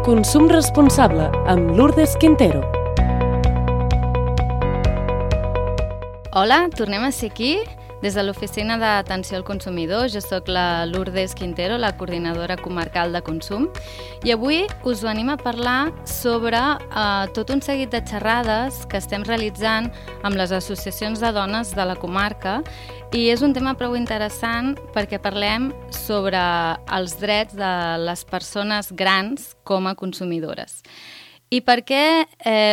Consum responsable amb Lourdes Quintero. Hola, tornem a ser aquí. Des de l'Oficina d'Atenció al Consumidor, jo sóc la Lourdes Quintero, la coordinadora comarcal de consum, i avui us venim a parlar sobre tot un seguit de xerrades que estem realitzant amb les associacions de dones de la comarca, i és un tema prou interessant perquè parlem sobre els drets de les persones grans com a consumidores. I per què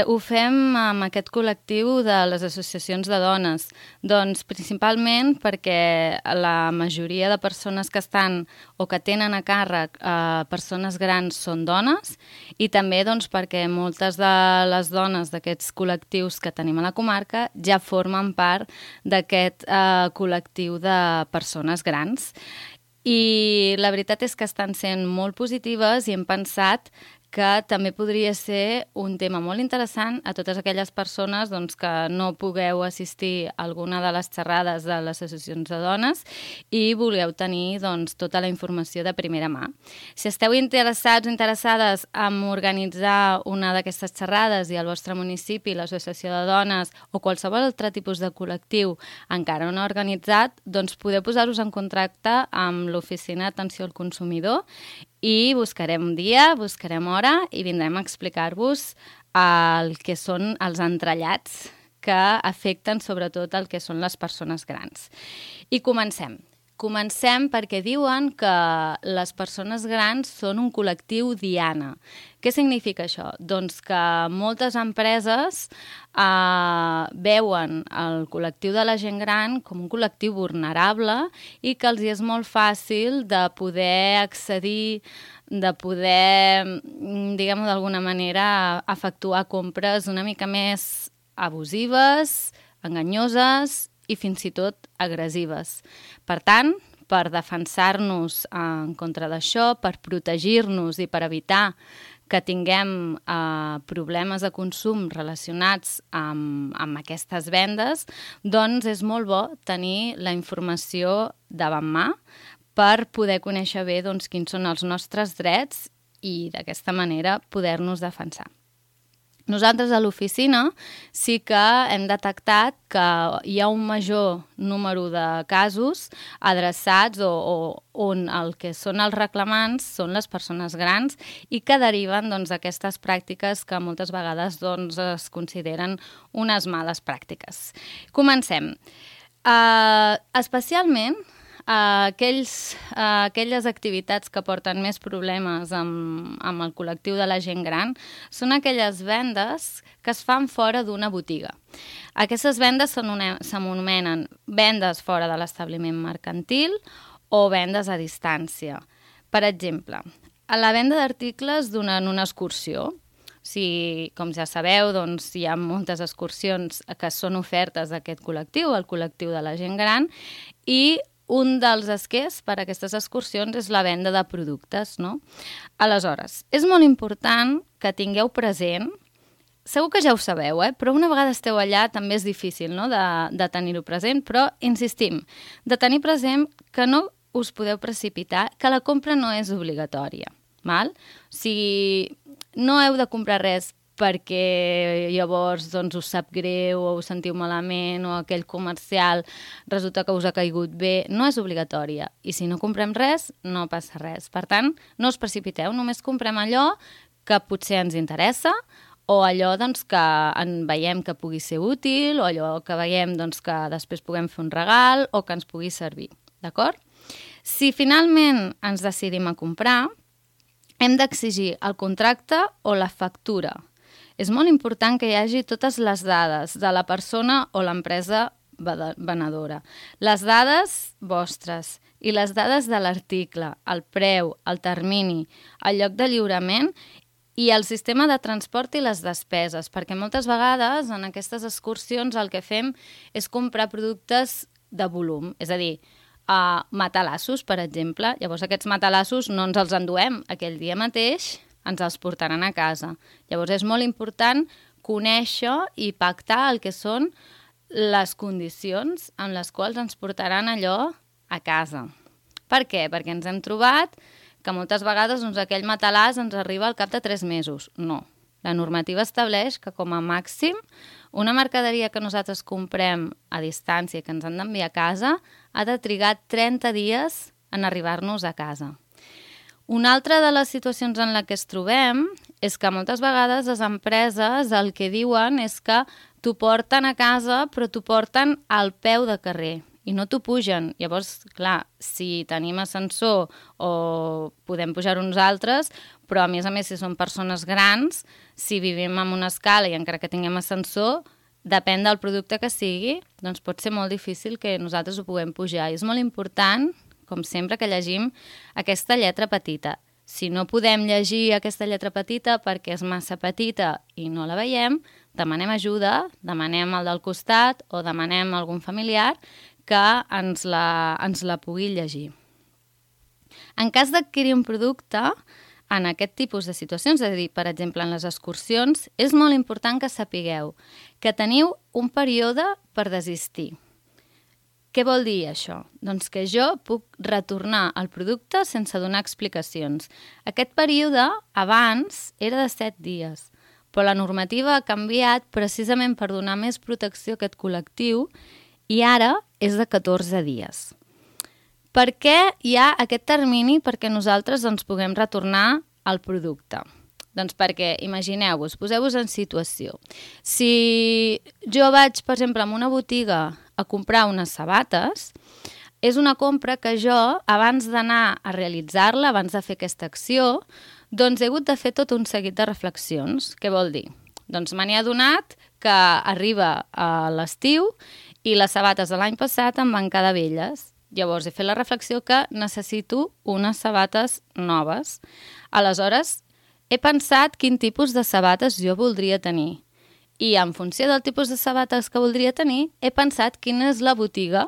ho fem amb aquest col·lectiu de les associacions de dones? Doncs principalment perquè la majoria de persones que estan o que tenen a càrrec persones grans són dones, i també doncs, perquè moltes de les dones d'aquests col·lectius que tenim a la comarca ja formen part d'aquest col·lectiu de persones grans. I la veritat és que estan sent molt positives i hem pensat que també podria ser un tema molt interessant a totes aquelles persones doncs, que no pugueu assistir a alguna de les xerrades de les associacions de dones i vulgueu tenir doncs, tota la informació de primera mà. Si esteu interessats o interessades en organitzar una d'aquestes xerrades i al vostre municipi, l'associació de dones o qualsevol altre tipus de col·lectiu encara no organitzat, doncs podeu posar-vos en contacte amb l'Oficina d'Atenció al Consumidor i buscarem dia, buscarem hora i vindrem a explicar-vos el que són els entrellats que afecten sobretot el que són les persones grans. I comencem. Comencem perquè diuen que les persones grans són un col·lectiu diana. Què significa això? Doncs que moltes empreses veuen el col·lectiu de la gent gran com un col·lectiu vulnerable i que els és molt fàcil de poder accedir, de poder, diguem-ho d'alguna manera, efectuar compres una mica més abusives, enganyoses i fins i tot agressives. Per tant, per defensar-nos en contra d'això, per protegir-nos i per evitar que tinguem problemes de consum relacionats amb aquestes vendes, doncs és molt bo tenir la informació davant mà per poder conèixer bé doncs, quins són els nostres drets i d'aquesta manera poder-nos defensar. Nosaltres a l'oficina sí que hem detectat que hi ha un major número de casos adreçats o on el que són els reclamants són les persones grans i que deriven d'aquestes pràctiques que moltes vegades es consideren unes males pràctiques. Comencem. Especialment aquelles activitats que porten més problemes amb el col·lectiu de la gent gran són aquelles vendes que es fan fora d'una botiga. Aquestes vendes s'anomenen vendes fora de l'establiment mercantil o vendes a distància. Per exemple, a la venda d'articles durant una excursió. Com ja sabeu, doncs, hi ha moltes excursions que són ofertes d'aquest col·lectiu, el col·lectiu de la gent gran, i un dels esquers per a aquestes excursions és la venda de productes, no? Aleshores, és molt important que tingueu present, segur que ja ho sabeu, però una vegada esteu allà també és difícil, no?, de tenir-ho present, però insistim, de tenir present que no us podeu precipitar, que la compra no és obligatòria, val? O sigui, no heu de comprar res perquè llavors us sap greu o us sentiu malament o aquell comercial resulta que us ha caigut bé, no és obligatòria. I si no comprem res, no passa res. Per tant, no us precipiteu, només comprem allò que potser ens interessa o allò que veiem que pugui ser útil o allò que veiem que després puguem fer un regal o que ens pugui servir. D'acord? Si finalment ens decidim a comprar, hem d'exigir el contracte o la factura. És molt important que hi hagi totes les dades de la persona o l'empresa venedora. Les dades vostres i les dades de l'article, el preu, el termini, el lloc de lliurament i el sistema de transport i les despeses, perquè moltes vegades en aquestes excursions el que fem és comprar productes de volum, és a dir, matalassos, per exemple. Llavors aquests matalassos no ens els enduem aquell dia mateix, ens els portaran a casa. Llavors és molt important conèixer i pactar el que són les condicions en les quals ens portaran allò a casa. Per què? Perquè ens hem trobat que moltes vegades aquell matalàs ens arriba al cap de 3 mesos. No. La normativa estableix que com a màxim una mercaderia que nosaltres comprem a distància i que ens han d'enviar a casa ha de trigar 30 dies en arribar-nos a casa. Una altra de les situacions en la que es trobem és que moltes vegades les empreses el que diuen és que t'ho porten a casa però t'ho porten al peu de carrer i no t'ho pugen. Llavors, clar, si tenim ascensor o podem pujar uns altres, però a més, si són persones grans, si vivim en una escala i encara que tinguem ascensor, depèn del producte que sigui, doncs pot ser molt difícil que nosaltres ho puguem pujar. I és molt important, com sempre, que llegim aquesta lletra petita. Si no podem llegir aquesta lletra petita perquè és massa petita i no la veiem, demanem ajuda, demanem al del costat o demanem a algun familiar que ens la pugui llegir. En cas d'adquirir un producte, en aquest tipus de situacions, és a dir, per exemple, en les excursions, és molt important que sapigueu que teniu un període per desistir. Què vol dir això? Doncs que jo puc retornar el producte sense donar explicacions. Aquest període abans era de 7 dies, però la normativa ha canviat precisament per donar més protecció a aquest col·lectiu i ara és de 14 dies. Per què hi ha aquest termini perquè nosaltres puguem retornar el producte? Doncs perquè, imagineu-vos, poseu-vos en situació. Si jo vaig, per exemple, a una botiga a comprar unes sabates, és una compra que jo, abans d'anar a realitzar-la, abans de fer aquesta acció, doncs he hagut de fer tot un seguit de reflexions. Què vol dir? Doncs me n'he adonat que arriba a l'estiu i les sabates de l'any passat em van quedar velles. Llavors he fet la reflexió que necessito unes sabates noves. Aleshores, he pensat quin tipus de sabates jo voldria tenir. I en funció del tipus de sabates que voldria tenir, he pensat quina és la botiga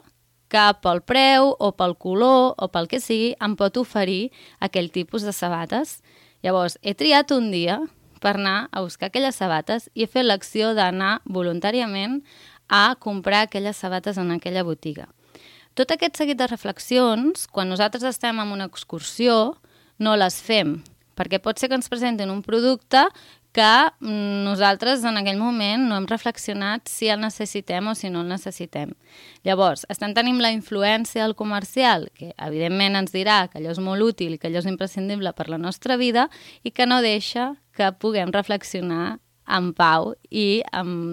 que pel preu o pel color o pel que sigui em pot oferir aquell tipus de sabates. Llavors, he triat un dia per anar a buscar aquelles sabates i he fet l'acció d'anar voluntàriament a comprar aquelles sabates en aquella botiga. Tot aquest seguit de reflexions, quan nosaltres estem en una excursió, no les fem, perquè pot ser que ens presentin un producte que nosaltres en aquell moment no hem reflexionat si el necessitem o si no el necessitem. Llavors, estem tenint la influència del comercial, que evidentment ens dirà que allò és molt útil i que allò és imprescindible per la nostra vida i que no deixa que puguem reflexionar en pau i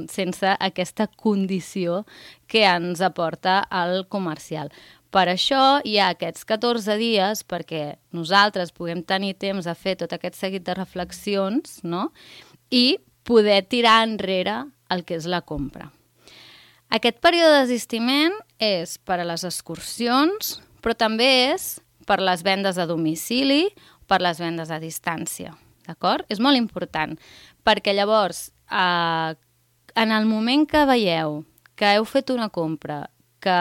sense aquesta condició que ens aporta el comercial. Per això hi ha aquests 14 dies perquè nosaltres puguem tenir temps de fer tot aquest seguit de reflexions, no? I poder tirar enrere el que és la compra. Aquest període de desistiment és per a les excursions, però també és per les vendes a domicili o per les vendes a distància. D'acord? És molt important, perquè llavors, en el moment que veieu que heu fet una compra que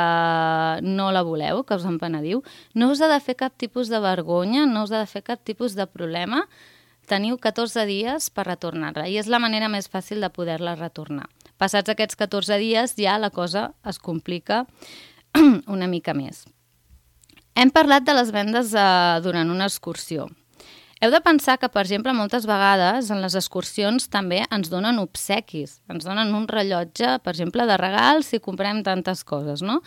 no la voleu, que us en penediu, no us ha de fer cap tipus de vergonya, no us ha de fer cap tipus de problema. Teniu 14 dies per retornar-la i és la manera més fàcil de poder-la retornar. Passats aquests 14 dies ja la cosa es complica una mica més. Hem parlat de les vendes durant una excursió. Heu de pensar que, per exemple, moltes vegades en les excursions també ens donen obsequis. Ens donen un rellotge, per exemple, de regal si comprem tantes coses, no?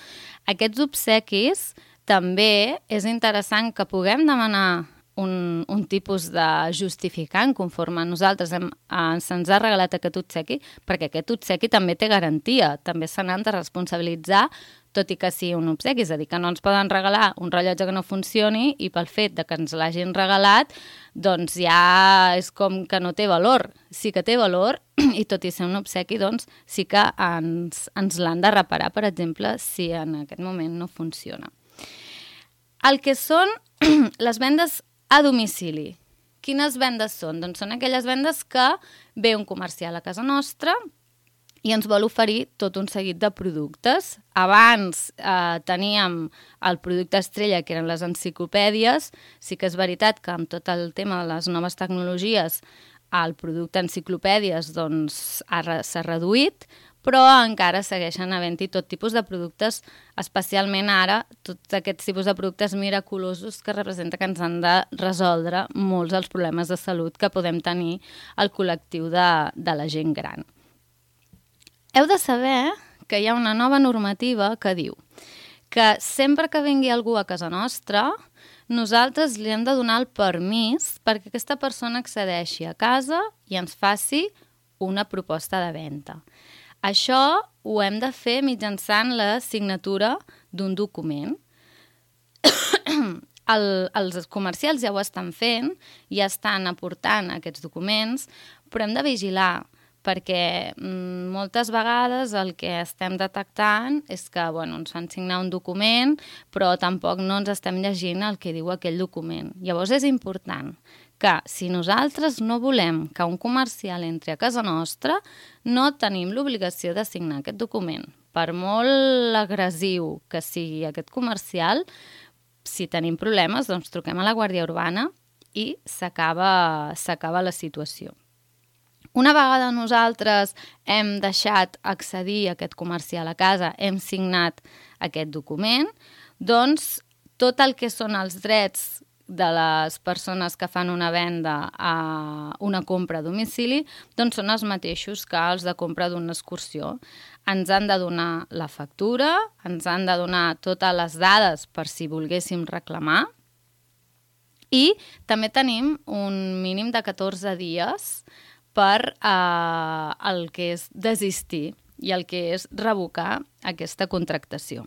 Aquests obsequis també és interessant que puguem demanar un tipus de justificant conforme a nosaltres se'ns ha regalat aquest obsequi, perquè aquest obsequi també té garantia, també se n'han de responsabilitzar, tot i que sigui un obsequi, és a dir, que no ens poden regalar un rellotge que no funcioni i pel fet de que ens l'hagin regalat, doncs ja és com que no té valor. Sí que té valor i tot i ser un obsequi, doncs sí que ens l'han de reparar, per exemple, si en aquest moment no funciona. El que són les vendes a domicili. Quines vendes són? Doncs són aquelles vendes que ve un comercial a casa nostra i ens vol oferir tot un seguit de productes. Abans teníem el producte estrella, que eren les enciclopèdies. Sí que és veritat que amb tot el tema de les noves tecnologies el producte enciclopèdies doncs, s'ha reduït, però encara segueixen havent-hi tot tipus de productes, especialment ara, tots aquests tipus de productes miraculosos que representa que ens han de resoldre molts dels problemes de salut que podem tenir al col·lectiu de la gent gran. Heu de saber que hi ha una nova normativa que diu que sempre que vingui algú a casa nostra, nosaltres li hem de donar el permís perquè aquesta persona accedeixi a casa i ens faci una proposta de venda. Això ho hem de fer mitjançant la signatura d'un document. Els comercials ja ho estan fent, ja estan aportant aquests documents, però hem de vigilar, perquè moltes vegades el que estem detectant és que ens fan signar un document, però tampoc no ens estem llegint el que diu aquell document. Llavors és important que si nosaltres no volem que un comercial entri a casa nostra, no tenim l'obligació de signar aquest document. Per molt agressiu que sigui aquest comercial, si tenim problemes, doncs truquem a la Guàrdia Urbana i s'acaba la situació. Una vegada nosaltres hem deixat accedir a aquest comercial a casa, hem signat aquest document, doncs tot el que són els drets de les persones que fan una venda a una compra a domicili, doncs són els mateixos que els de compra d'una excursió. Ens han de donar la factura, ens han de donar totes les dades per si volguéssim reclamar i també tenim un mínim de 14 dies per el que és desistir i el que és revocar aquesta contractació.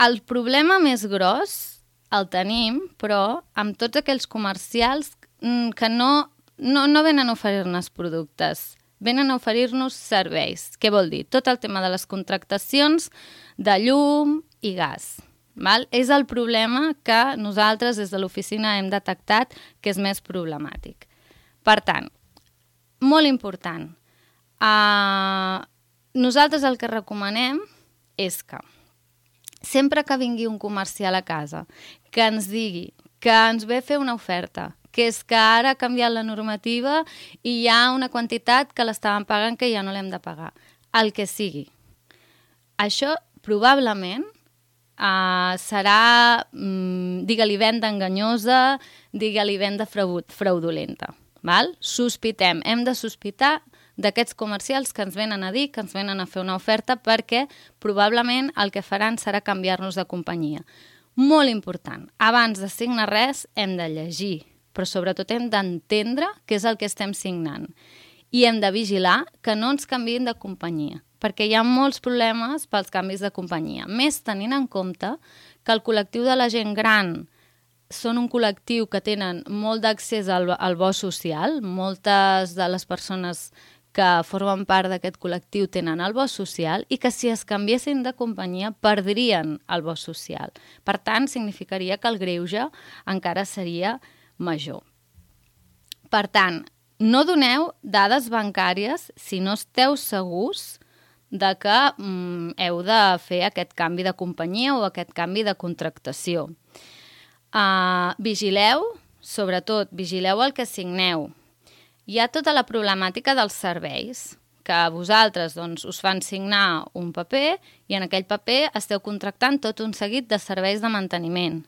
El problema més gros el tenim, però, amb tots aquells comercials que no venen a oferir-nos productes, venen a oferir-nos serveis. Què vol dir? Tot el tema de les contractacions de llum i gas. Val? És el problema que nosaltres des de l'oficina hem detectat que és més problemàtic. Per tant, molt important, nosaltres el que recomanem és que sempre que vingui un comercial a casa que ens digui que ens ve a fer una oferta, que és que ara ha canviat la normativa i hi ha una quantitat que l'estàvem pagant que ja no l'hem de pagar, el que sigui. Això probablement serà, digue-li venda enganyosa, digue-li venda fraudulenta. Val? Sospitem, hem de sospitar d'aquests comercials que ens venen a dir, que ens venen a fer una oferta, perquè probablement el que faran serà canviar-nos de companyia. Molt important, abans de signar res hem de llegir, però sobretot hem d'entendre què és el que estem signant. I hem de vigilar que no ens canviïn de companyia, perquè hi ha molts problemes pels canvis de companyia. Més tenint en compte que el col·lectiu de la gent gran són un col·lectiu que tenen molt d'accés al bo social, moltes de les persones que formen part d'aquest col·lectiu tenen el bo social i que si es canviessin de companyia perdrien el bo social. Per tant, significaria que el greuge encara seria major. Per tant, no doneu dades bancàries si no esteu segurs de que heu de fer aquest canvi de companyia o aquest canvi de contractació. Vigileu, sobretot, vigileu el que signeu. Hi ha tota la problemàtica dels serveis, que vosaltres us fan signar un paper i en aquell paper esteu contractant tot un seguit de serveis de manteniment.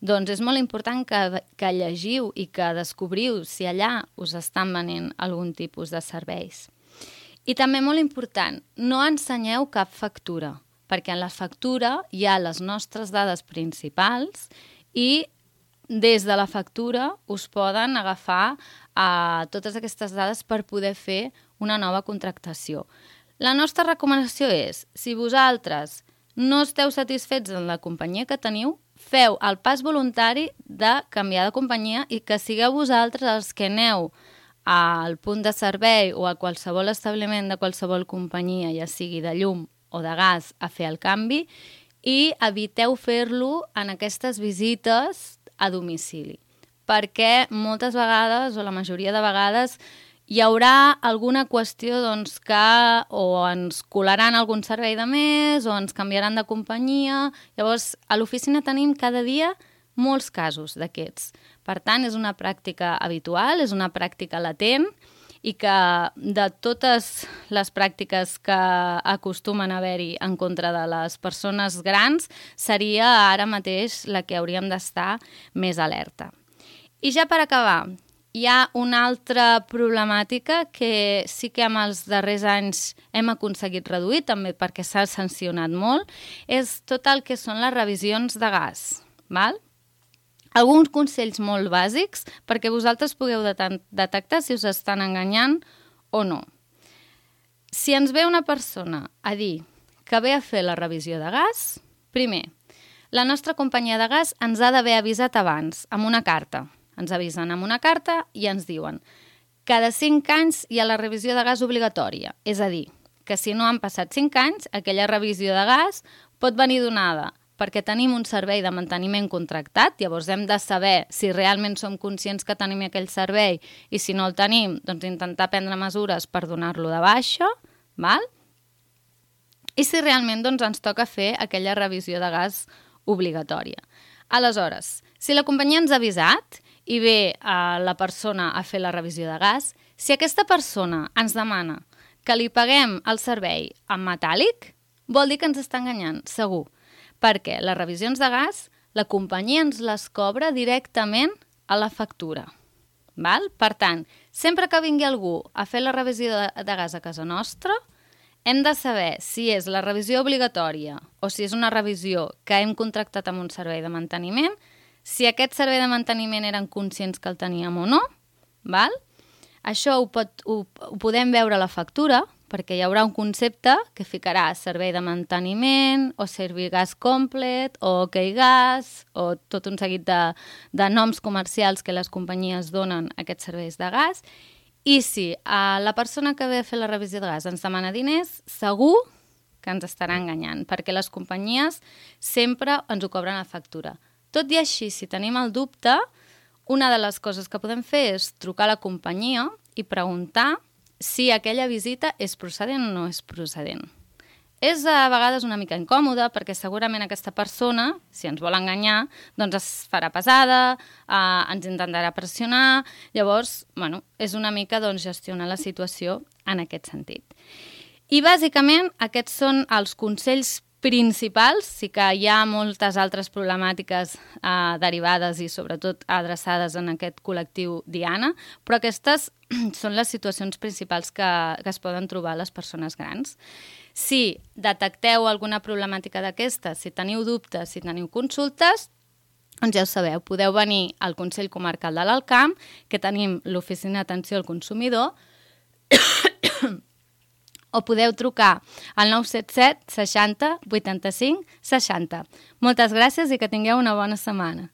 Doncs és molt important que llegiu i que descobriu si allà us estan venent algun tipus de serveis. I també molt important, no ensenyeu cap factura, perquè en la factura hi ha les nostres dades principals i des de la factura us poden agafar totes aquestes dades per poder fer una nova contractació. La nostra recomanació és, si vosaltres no esteu satisfets en la companyia que teniu, feu el pas voluntari de canviar de companyia i que sigueu vosaltres els que aneu al punt de servei o a qualsevol establiment de qualsevol companyia, ja sigui de llum o de gas, a fer el canvi i eviteu fer-lo en aquestes visites a domicili, perquè moltes vegades, o la majoria de vegades, hi haurà alguna qüestió que o ens colaran algun servei de més o ens canviaran de companyia. Llavors, a l'oficina tenim cada dia molts casos d'aquests. Per tant, és una pràctica habitual, és una pràctica latent i que de totes les pràctiques que acostumen a haver-hi en contra de les persones grans seria ara mateix la que hauríem d'estar més alerta. I ja per acabar, hi ha una altra problemàtica que sí que amb els darrers anys hem aconseguit reduir, també perquè s'ha sancionat molt, és tot el que són les revisions de gas, val? Alguns consells molt bàsics perquè vosaltres pugueu detectar si us estan enganyant o no. Si ens ve una persona a dir que ve a fer la revisió de gas, primer, la nostra companyia de gas ens ha d'haver avisat abans, amb una carta. Ens avisen amb una carta i ens diuen cada 5 anys hi ha la revisió de gas obligatòria. És a dir, que si no han passat 5 anys, aquella revisió de gas pot venir donada perquè tenim un servei de manteniment contractat, llavors hem de saber si realment som conscients que tenim aquell servei i si no el tenim, doncs intentar prendre mesures per donar-lo de baixa, val? I si realment doncs, ens toca fer aquella revisió de gas obligatòria. Aleshores, si la companyia ens ha avisat i ve la persona a fer la revisió de gas, si aquesta persona ens demana que li paguem el servei en metàl·lic, vol dir que ens està enganyant, segur. Perquè les revisions de gas, la companyia ens les cobra directament a la factura. Val? Per tant, sempre que vingui algú a fer la revisió de gas a casa nostra, hem de saber si és la revisió obligatòria o si és una revisió que hem contractat amb un servei de manteniment, si aquest servei de manteniment eren conscients que el teníem o no, val? Això ho podem veure a la factura, perquè hi haurà un concepte que ficarà servei de manteniment o Servigas Complet o OK Gas o tot un seguit de noms comercials que les companyies donen a aquests serveis de gas. I si la persona que ve a fer la revisió de gas ens demana diners, segur que ens estarà enganyant, perquè les companyies sempre ens ho cobren a factura. Tot i així, si tenim el dubte, una de les coses que podem fer és trucar a la companyia i preguntar si aquella visita és procedent o no és procedent. És a vegades una mica incòmode perquè segurament aquesta persona, si ens vol enganyar, doncs es farà pesada, ens intentarà pressionar, llavors, bueno, és una mica gestionar la situació en aquest sentit. I bàsicament aquests són els consells principals, sí que hi ha moltes altres problemàtiques derivades i sobretot adreçades en aquest col·lectiu Diana, però aquestes són les situacions principals que es poden trobar les persones grans. Si detecteu alguna problemàtica d'aquestes, si teniu dubtes, si teniu consultes, doncs ja ho sabeu, podeu venir al Consell Comarcal de l'Alt Camp, que tenim l'Oficina d'Atenció al Consumidor, o podeu trucar al 977 60 85 60. Moltes gràcies i que tingueu una bona setmana.